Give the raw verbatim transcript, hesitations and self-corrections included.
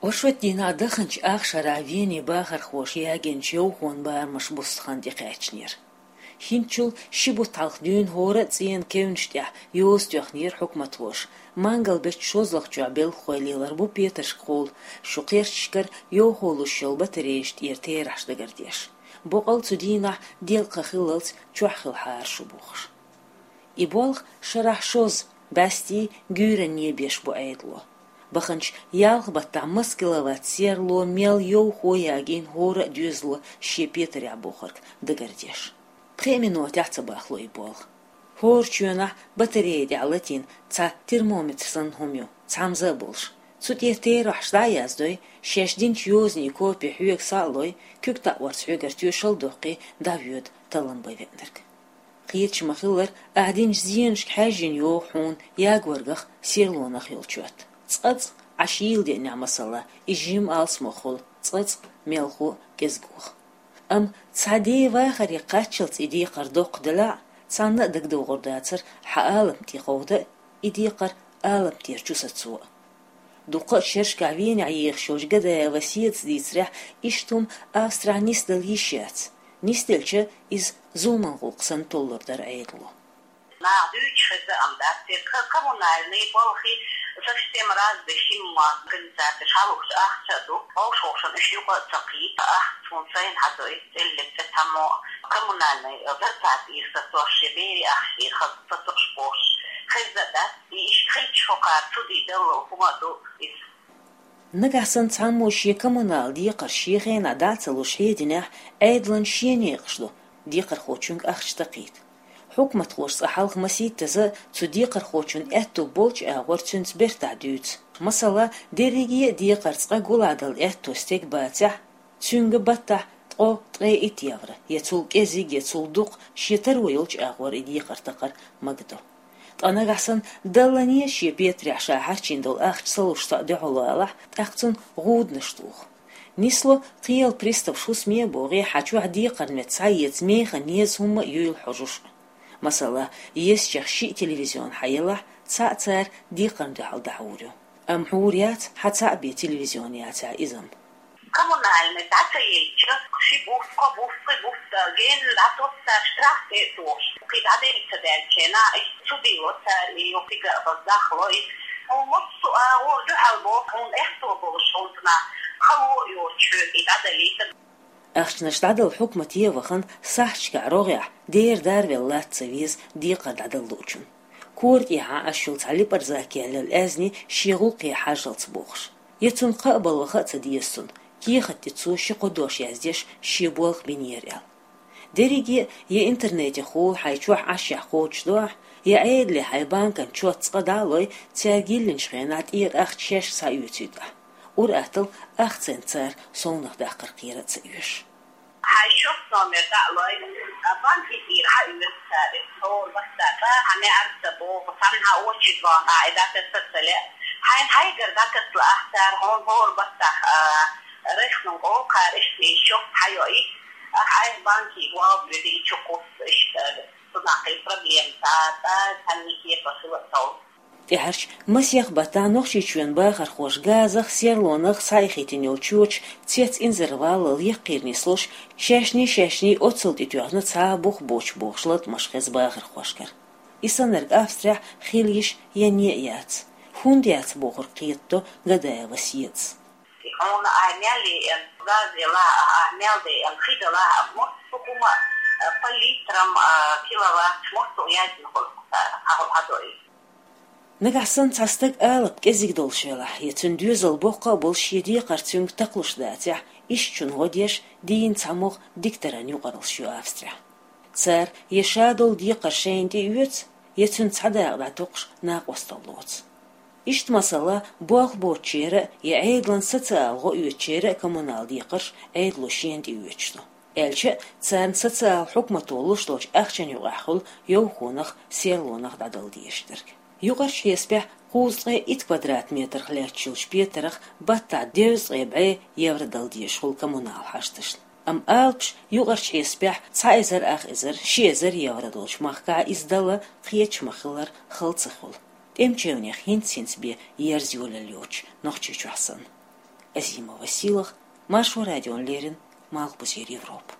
Оршот дийнахьа даханчу ах шарахь Вене бахархоша ягийначу йовхонан барамаш буссу хан тӀекхаьчнера. ХӀинцачул ши бутт хьалха дуьйна хӀора а цӀенан кевнаш тӀехь йоза тоьхнера хьукматхоша, мангал беттан шозлагӀчохь белхахой лелар бу петаршкахула, шун кхерчашкара йовхо луш йолу батарейш тӀера терахьаш дагардеш. Боккъал цу дийнахь делкъаха хиллалц чохь хилахьара шу бохуш. И болх шарахь шозза, бӀаьстий, гуьйранний беш бу Ӏедало. Баханчу ялх баттахь масса киловатт серло, мел, йовхо ягийна хӀора а доьзало шен петарехь бохург дагардеш. Пхи минотехь ца бахло и болх. ХӀора чоьнахь батарей тӀехь латийна цхьа термометр санна хӀума ю, цхьамза а болуш. Цу тӀе терахьаш дӀа а яздой, шаьш динчу йозанийн копи хьоьга схьа а лой, куьг таӀорца хьоьгара тоьшалла а доккхий, дӀавоьду таллам бан веанарг. Кхеташ ма-хиллара, ахь динчу зенашка хьаьжжина йогӀу хьуна ягоргах, серлонах йолу чот. Цкъа-цкъа, Ӏаш йийла деънехь, масала, и жимма алсамохула, цкъа-цкъа мелхо а, кӀезгох. Амма цхьа ден вахаре кхаччалц и декхар доккха делахь а, цхьанна а дагадогӀур дацара хьан алам тӀе кховда а, и декхар алам тӀера чу сацо а. Дуккха а шерашкахь Венехь ехаш йолчу Гадаева Седас дийцарехь, иштта хӀума Австрехь нисдала йиш яц. Нисделча, иза зулман гӀуллакх санна толлур дара Ӏедало. Наха дуьйцуш хезна, амма дац те, ка-, коммунальный балхи совсем разный хӀума, организацеш хьалхуш ахча а ду, вовшашна уьш юкъа а ца кхийта, ахча суна сайна хьадой, цӀеллиг цӀе цхьаммо, коммунальный зарплата ира сацош, я берийн ахча ира хаза сацош бохуш, хезна а дац. И иштта хилча, хӀокхара цу дийдаллал хӀума а ду иза. Нагахь санна цхьаммо шен коммунал декхарш шен хенахь дӀа а ца луш хьединехь, Ӏедалан шен некъаш ду декхархочуьнга ахча такхийта. Хьукматхоша цкъа хьалха масийттаза цу декхархочун аьтто болчу агӀор цуьнца бертахь дуьйцу. Масала, дерриге а декхар цкъа гулдала аьтто стеган бацахь, цуьнга баттахь ткъо, ткъе итт евро, я цул кӀезиг, я цул дукха, шен таро йолчу агӀор и декхар такхар магадо. Ткъа нагахь санна даллане шен петарехь ша хьарчийна долу ахча ца луш цхьаъ дуьхьал валахь, тӀаккха цунна гӀуданаш туху. Нисло, кхелан приставш хӀусаме а богӀий, хьан чохь декхарна метта схьаэца механа еза хӀума а юйла хьожуш а. Масала, езачех шиъ телевизион хьан елахь, цхьаъ цара декхарна дуьхьал дӀахьур ю. Амма хьур яц, хьан цхьаъ бен телевизион яцахь иза-м. Коммунальный дӀа ца елча, ши буффа, кхо буффа, пхи буффа генна дӀатосу цара, штраф тӀе а тохуш. Кхин дӀаделла ца даьллачу хенахь, иштта судо цара и йоккхига а база дахло и. Хьуна массо а агӀор дуьхьал боху, хьуна аьтто болуш, хьуна цунах хало а йоцуш хьоьга и дӀадалийта. Ахчанаш дӀадала хьукмате а вахана, сахьташкахь рогӀехь дера дарвелла латта ца веза декхар дӀадала луучун. Кора тӀехьа Ӏаш йолу цхьа липарза керлал аьзни шен гӀуллакхе хьажжалц бохуш. Я цунна кхаъ бала ваха а ца деза цунна, кехат тӀе цо ши-кхо дош яздеш шен болх бинера аьлла. Дерриге а я интернетехула хьайн чохь Ӏашшехь кхочушдо ахь, я Ӏедале хьайн банкан чот цкъа дӀа а лой, цаьрга йиллинчу хенахь тӀера ахча шаьш схьаоьцуьйту ахь. Ур-атталла ахцанца цара совнахдаккхар кхера а ца оьшу. Хьайн счёт номер дӀа а лой, банке тӀера хьаоьцу цара иза. ХӀора баттахь хьан неӀарца боху, цхьанна хьан очередь вахана, и дӀатесса а ца лаьа. Хьайна хьайгара дӀатесла ахь цара, хьуна хӀора баттахь, а, рехнун кхара иштта и счёт хьайоуьйту, ахь айхьа банке валабуьйту и чу кхуссу иштта. Цунах и проблема цкъа, цкъа цхьанна кепара хила а ца волу. ТӀаьхьарчу масех баттахь Нохчийчоьнан бахархоша газах, серлонах схьаихийтина йолчу чоча цец инзарваллал яккхийра нислуш, шаьшний-шаьшний оццул тӀетоьхна цхьа а бух боцуш бохуш латкъамаш хеза бахархошкара. И саннарг Австрехь хила йиш ян а яц. ХӀунда яц бохург кхетадо Гадаева Седас. Хьуна ахь мел еана, газ елахь а, ахь мел деана, хи делахь а, массо а хӀума, а, по литрам, а, киловатт, массо а яздина хуьлу цара, хьан хӀума хьадо иза. Нагахь санна цхьа стаг алапа кӀезиг долуш велахь, я цуьнан доьзал боккха а болуш шен декхар цуьнга такхалуш дацахь, ишттачунна гӀо деш, дийна цхьамогӀа дикторан юкъараллаш ю Австрехь. Цара я ша долу декхар шайна тӀеоьцу, я цуьнан цхьа дакъа дӀатокхуш накъосталла лоцу. Иштта масала, болх боцучеран а, я Ӏедалан социалан гӀо оьцучеран а коммунал декхарш Ӏедало шена тӀеоьцуш ду. Аьлча а, царна социалан хьукмато луш долчу ахчанна юкъахь хуьлу йовхонах, серлонах дӀадала дезаш дерг. Юкъарчу хьесапехь кхузткъе итт квадрат метрах лаьтташ йолчу петарах баттахь дезткъе бӀе евро дала дезаш хуьлу коммунал хьашташна. Амма алапаш юкъарчу хьесапехь цхьа эзар ах эзар, ши эзар евро долчу махкахь иза дала кхеташ ма-хиллара хала ца хуьлу, тӀеман чевнех хӀинц-хӀинца бен ерза йолалла йоцуш Нохчийчохь санна. Азимова Силах, Маршо радион леррин Малхбузер Европа.